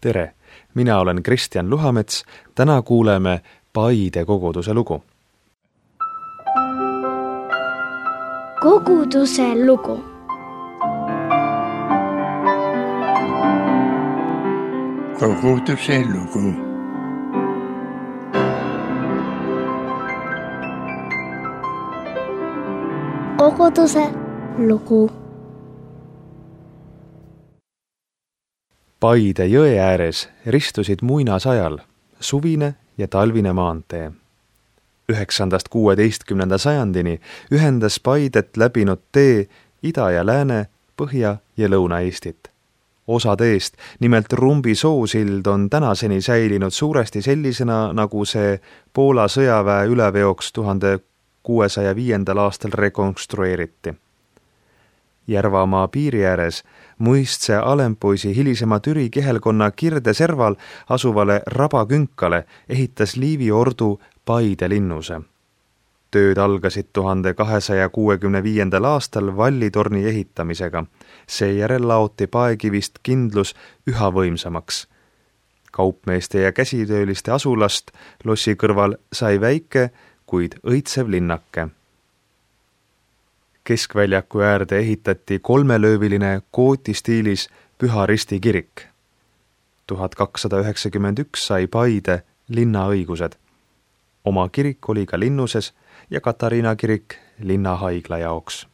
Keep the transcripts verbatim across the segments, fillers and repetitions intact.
Tere, mina olen Kristjan Luhamets, täna kuuleme Paide koguduse lugu. Koguduse lugu. Koguduse lugu. Koguduse lugu. Paide jõe ääres ristusid muinasajal suvine ja talvine maantee. Üheksandast kuueteistkümnenda sajandini ühendas Paidet läbinud tee Ida- ja Lääne, Põhja- ja Lõuna-Eestit. Osa teest, nimelt Rumbi soosild, on tänaseni säilinud suuresti sellisena, nagu see Poola sõjaväe üleveoks tuhande kuuesaja viiendal aastal rekonstrueeriti. Järvamaa piiri ääres Muistse Alempoisi hilisema Türi kihelkonna Kirde-Serval asuvale Rabakünkale ehitas Liivi ordu Paide linnuse. Tööd algasid tuhande kahesaja kuuekümne viiendal aastal vallitorni ehitamisega. Seejärel laoti paekivist kindlus üha võimsamaks. Kaupmeeste ja käsitööliste asulast lossi kõrval sai väike, kuid õitsev linnake. Keskväljaku äärde ehitati kolmelööviline kooti stiilis Püha Risti kirik. tuhat kakssada üheksakümmend üks sai Paide linnaõigused. Oma kirik oli ka linnuses ja Katariina kirik linnahaigla jaoks.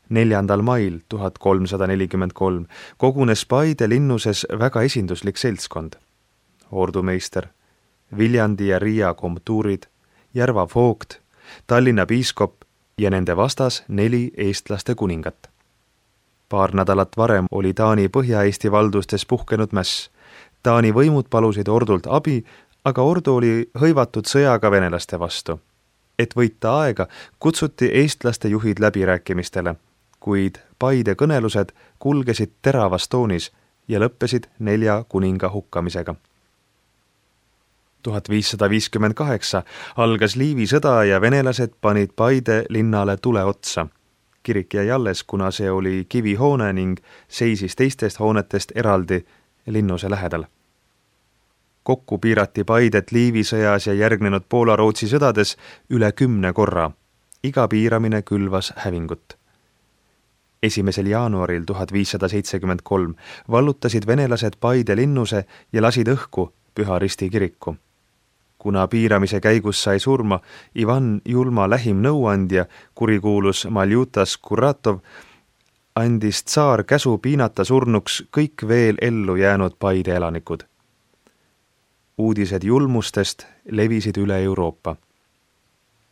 Neljandal mail tuhat kolmsada nelikümmend kolm kogunes Paide linnuses väga esinduslik seltskond. Ordumeister, Viljandi ja Riia komtuurid, Järva voogt, Tallinna piiskop ja nende vastas neli eestlaste kuningat. Paar nädalat varem oli Taani Põhja-Eesti valdustes puhkenud mäss. Taani võimud palusid ordult abi, aga ordu oli hõivatud sõjaga venelaste vastu. Et võita aega, kutsuti eestlaste juhid läbirääkimistele, kuid Paide kõnelused kulgesid teravas toonis ja lõppesid nelja kuninga hukkamisega. tuhat viissada viiskümmend kaheksa algas Liivi sõda ja venelased panid Paide linnale tule otsa. Kirik jäi alles, kuna see oli kivihoone ning seisis teistest hoonetest eraldi linnuse lähedal. Kokku piirati Paidet Liivi sõjas ja järgnenud Poola-Rootsi sõdades üle kümne korra. Iga piiramine külvas hävingut. Esimesel jaanuaril tuhat viissada seitsekümmend kolm vallutasid venelased Paide linnuse ja lasid õhku Püha Risti kiriku. Kuna piiramise käigus sai surma Ivan Julma lähim nõuandja, kurikuulus Maljutas Kuratov, andis tsaar käsu piinata surnuks kõik veel ellu jäänud Paide elanikud. Uudised julmustest levisid üle Euroopa.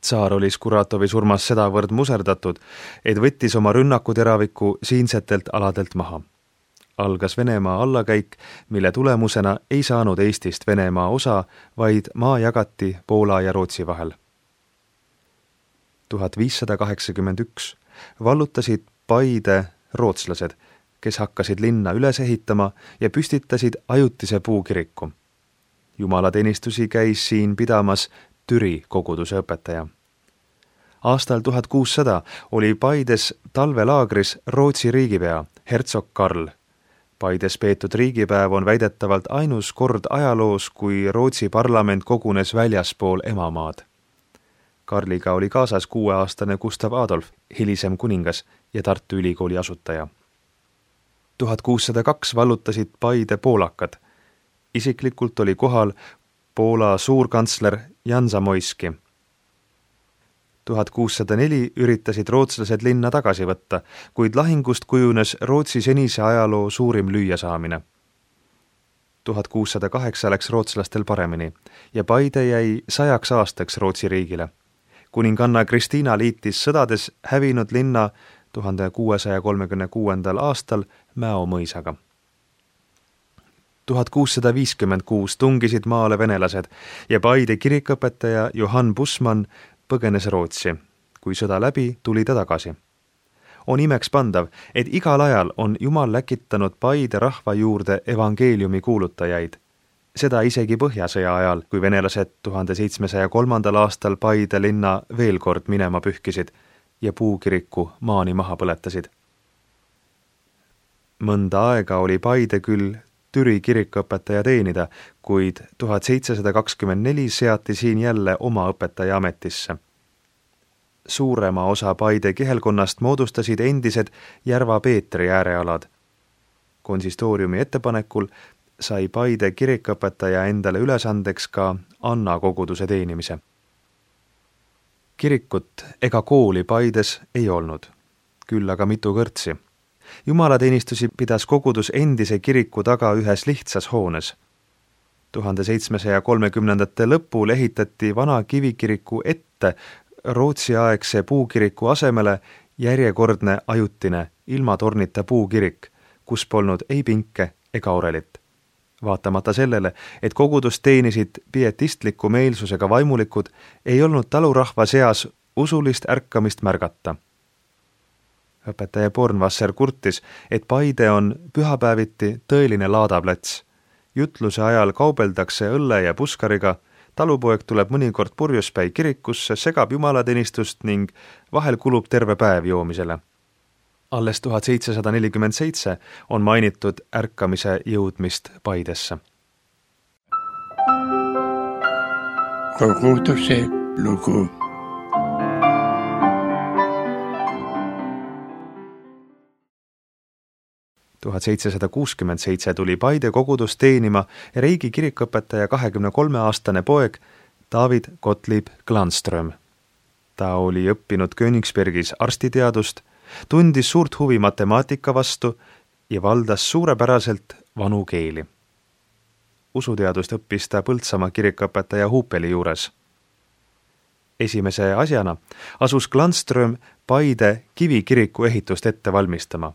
Tsaar oli Skuratovi surmas sedavõrd muserdatud, et võttis oma rünnakuteraviku siinsetelt aladelt maha. Algas Venemaa allakäik, mille tulemusena ei saanud Eestist Venemaa osa, vaid maa jagati Poola ja Rootsi vahel. tuhat viissada kaheksakümmend üks vallutasid Paide rootslased, kes hakkasid linna üles ehitama ja püstitasid ajutise puukiriku. Jumalateenistusi käis siin pidamas Türi koguduse õpetaja. Aastal tuhat kuussada oli Paides talvelaagris Rootsi riigipea, hertsog Karl. Paides peetud riigipäev on väidetavalt ainus kord ajaloos, kui Rootsi parlament kogunes väljaspool emamaad. Karliga oli kaasas kuueaastane Gustav Adolf, hilisem kuningas ja Tartu Ülikooli asutaja. tuhat kuussada kaks vallutasid Paide poolakad. Isiklikult oli kohal Poola suurkantsler Jan Zamoyski. tuhat kuussada neli üritasid rootslased linna tagasi võtta, kuid lahingust kujunes Rootsi senise ajaloo suurim lüüasaamine. tuhat kuussada kaheksa läks rootslastel paremini ja Paide jäi sajaks aastaks Rootsi riigile. Kuninganna Kristiina liitis sõdades hävinud linna tuhande kuuesaja kolmekümne kuuendal aastal Mäo mõisaga. tuhat kuussada viiskümmend kuus tungisid maale venelased ja Paide kirikõpetaja Johann Bussmann põgenes Rootsi. Kui sõda läbi, tuli ta tagasi. On imeks pandav, et igal ajal on Jumal läkitanud Paide rahva juurde evangeeliumi kuulutajaid. Seda isegi Põhjasõja ajal, kui venelased tuhande seitsmesaja kolmandal aastal Paide linna veel kord minema pühkisid ja puukiriku maani maha põletasid. Mõnda aega oli Paide küll Türi kirikuõpetaja teenida, kuid tuhat seitsesada kakskümmend neli seati siin jälle oma õpetaja ametisse. Suurema osa Paide kihelkonnast moodustasid endised Järva Peetri äärealad. Konsistooriumi ettepanekul sai Paide kirikuõpetaja endale ülesandeks ka Anna koguduse teenimise. Kirikut ega kooli Paides ei olnud, küll aga mitu kõrtsi. Jumalateenistusi pidas kogudus endise kiriku taga ühes lihtsas hoones. tuhande seitsmesaja kolmekümnendate lõpul ehitati vana kivikiriku ette Rootsi-aegse puukiriku asemele järjekordne ajutine ilma tornita puukirik, kus polnud ei pinke ega orelit. Vaatamata sellele, et kogudust teenisid pietistliku meelsusega vaimulikud, ei olnud talurahva seas usulist ärkamist märgata. Õpetaja Bornvasser kurtis, et Paide on pühapäeviti tõeline laadaplats. Jutluse ajal kaubeldakse õlle ja puskariga, talupoeg tuleb mõnikord purjuspäi kirikusse, segab jumalateenistust ning vahel kulub terve päev joomisele. Alles tuhat seitsesada nelikümmend seitse on mainitud ärkamise jõudmist Paidesse. Koguduse lugu. tuhat seitsesada kuuskümmend seitse tuli Paide kogudus teenima Reigi kirikuõpetaja kahekümne kolme aastane poeg David Gottlieb Glanström. Ta oli õppinud Königsbergis arstiteadust, tundis suurt huvi matemaatika vastu ja valdas suurepäraselt vanu keeli. Usuteadust õppis ta Põltsamaa kirikuõpetaja Huupeli juures. Esimese asjana asus Glanström Paide kivikiriku ehitust ette valmistama.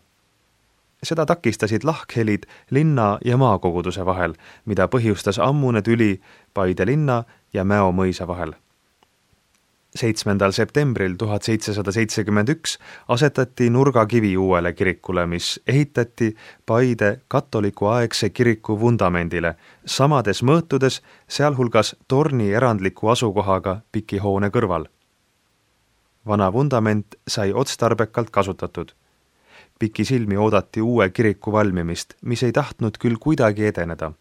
Seda takistasid lahkhelid linna ja maakoguduse vahel, mida põhjustas ammune tüli Paide linna ja Mäo mõisa vahel. seitsmendal septembril tuhat seitsesada seitsekümmend üks asetati nurgakivi uuele kirikule, mis ehitati Paide katoliku aegse kiriku vundamendile, samades mõõtudes, sealhulgas torni erandliku asukohaga pikihoone kõrval. Vana vundament sai otstarbekalt kasutatud. Pikisilmi oodati uue kiriku valmimist, mis ei tahtnud küll kuidagi edeneda.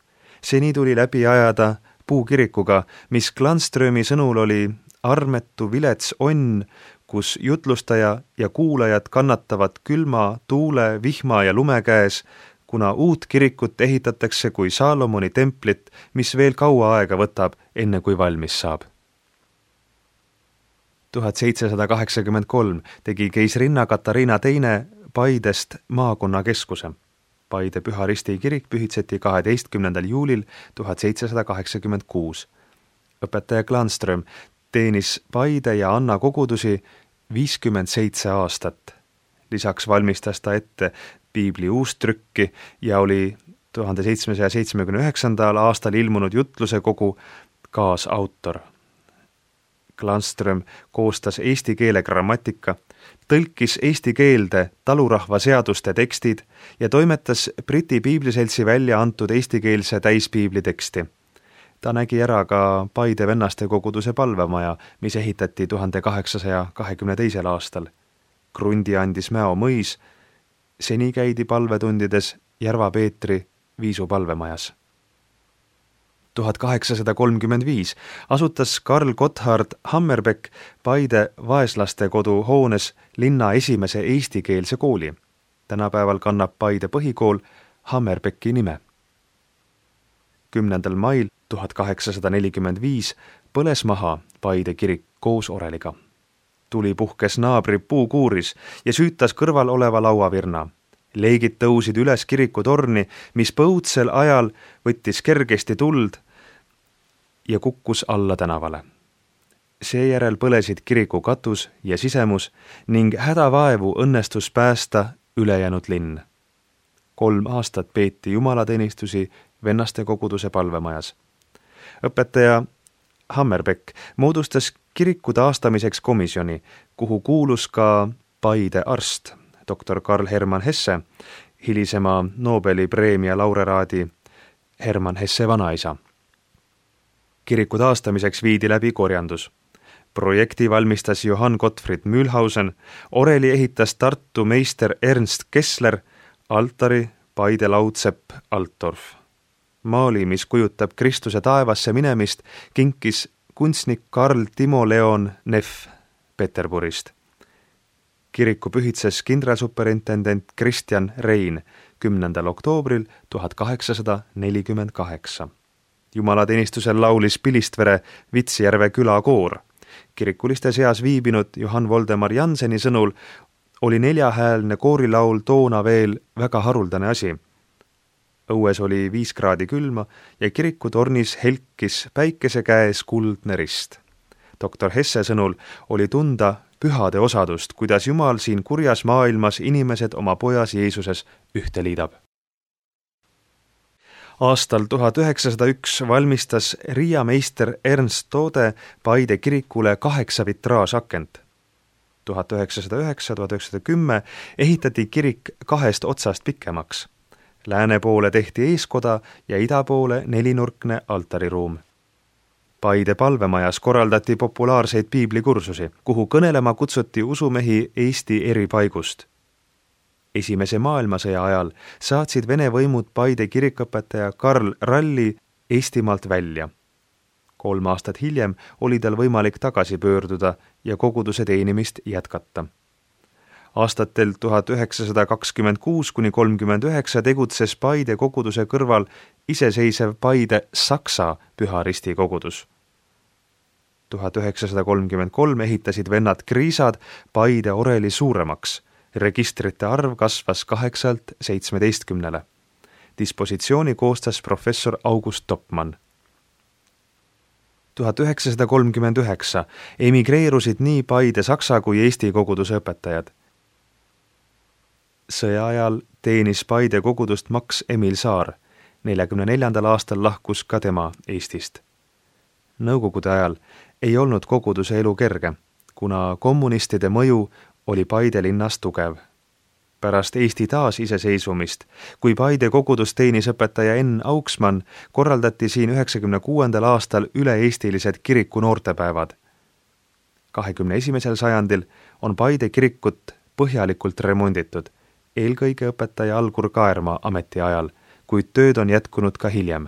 Seni tuli läbi ajada puukirikuga, mis Glanströmi sõnul oli armetu vilets onn, kus jutlustaja ja kuulajad kannatavad külma, tuule, vihma ja lume käes, kuna uut kirikut ehitatakse kui Saalomoni templit, mis veel kaua aega võtab, enne kui valmis saab. tuhat seitsesada kaheksakümmend kolm tegi keisrinna Katariina teine Paidest maakonnakeskuse. Paide Püha Risti kirik pühitseti kaheteistkümnendal juulil tuhat seitsesada kaheksakümmend kuus. Õpetaja Glanström teenis Paide ja Anna kogudusi viiskümmend seitse aastat. Lisaks valmistas ta ette piibli uustrükki ja oli tuhande seitsmesaja seitsmekümne üheksandal aastal ilmunud jutluse kogu kaasautor. Glanström koostas eesti keele grammatika, tõlkis eesti keelde talurahva seaduste tekstid ja toimetas Briti piibliseltsi välja antud eestikeelse täispiibli teksti. Ta nägi ära ka Paide vennaste koguduse palvemaja, mis ehitati tuhande kaheksasaja kahekümne teisel aastal. Krundi andis Mäo mõis, seni käidi palvetundides Järva Peetri Viisu palvemajas. tuhat kaheksasada kolmkümmend viis asutas Karl Gotthard Hammerbeck Paide vaeslaste kodu hoones linna esimese eestikeelse kooli. Tänapäeval kannab Paide põhikool Hammerbecki nime. kümnendal mail tuhat kaheksasada nelikümmend viis põles maha Paide kirik koos oreliga. Tuli puhkes naabri puukuuris ja süütas kõrval oleva lauavirna. Leegid tõusid üles kirikutorni, mis põudsel ajal võttis kergesti tuld ja kukkus alla tänavale. Seejärel põlesid kiriku katus ja sisemus ning hädavaevu õnnestus päästa ülejäänud linn. Kolm aastat peeti jumalateenistusi vennaste koguduse palvemajas. Õpetaja Hammerbeck moodustas kiriku taastamiseks komisjoni, kuhu kuulus ka Paide arst, doktor Karl Hermann Hesse, hilisema Nobeli preemia laureraadi Hermann Hesse vanaisa. Kiriku taastamiseks viidi läbi korjandus. Projekti valmistas Johann Gottfried Mühlhausen, oreli ehitas Tartu meister Ernst Kessler, altari Paide laudsepp Altdorf. Maali, mis kujutab Kristuse taevasse minemist, kinkis kunstnik Karl Timo Leon Neff Peterburist. Kiriku pühitses kindralsuperintendent Kristjan Rein kümnendal oktoobril tuhat kaheksasada nelikümmend kaheksa. Jumalateenistusel laulis Pilistvere Vitsjärve külakoor. Kirikuliste seas viibinud Johann Voldemar Janseni sõnul oli neljahäälne koorilaul toona veel väga haruldane asi. Õues oli viis kraadi külma ja kirikutornis helkis päikese käes kuldne rist. doktor Hesse sõnul oli tunda pühade osadust, kuidas Jumal siin kurjas maailmas inimesed oma pojas Jeesuses ühte liidab. Aastal tuhat üheksasada üks valmistas Riia meister Ernst Toode Paide kirikule kaheksa vitraažakent. tuhat üheksasada üheksa tuhat üheksasada kümme ehitati kirik kahest otsast pikemaks. Lääne poole tehti eeskoda ja ida poole nelinurkne altariruum. Paide palvemajas korraldati populaarseid piiblikursusi, kuhu kõnelema kutsuti usumehi Eesti eri paigust. Esimese maailmasõja ajal saatsid Vene võimud Paide kirikõpetaja Karl Ralli Eestimaalt välja. Kolm aastat hiljem oli tal võimalik tagasi pöörduda ja koguduse teenimist jätkata. Aastatel tuhat üheksasada kakskümmend kuus kuni kolmkümmend üheksa tegutses Paide koguduse kõrval iseseisev Paide Saksa Püha Risti kogudus. tuhat üheksasada kolmkümmend kolm ehitasid vennad Kriisad Paide oreli suuremaks. Registrite arv kasvas kaheksalt seitsmeteistkümnele. Dispositsiooni koostas professor August Topmann. tuhat üheksasada kolmkümmend üheksa emigreerusid nii Paide saksa kui Eesti koguduse õpetajad. Sõja ajal teenis Paide kogudust Max Emil Saar. neljakümne neljandal aastal lahkus ka tema Eestist. Nõukogude ajal ei olnud koguduse elu kerge, kuna kommunistide mõju oli Paide linnas tugev. Pärast Eesti taas iseseisvumist, kui Paide kogudus teenis õpetaja Enn Auksmann, korraldati siin üheksakümne kuuendal aastal üle-eestilised kiriku noortepäevad. kahekümne esimesel sajandil on Paide kirikut põhjalikult remonditud, eelkõige õpetaja Algur Kaerma ametiajal, kuid tööd on jätkunud ka hiljem.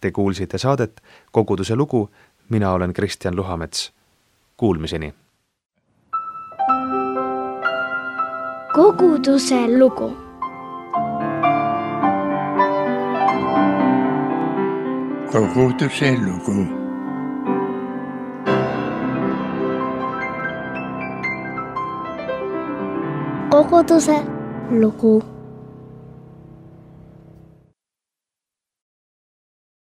Te kuulsite saadet Koguduse lugu, mina olen Kristjan Luhamets. Kuulmiseni! Koguduse lugu. Koguduse lugu. Koguduse lugu.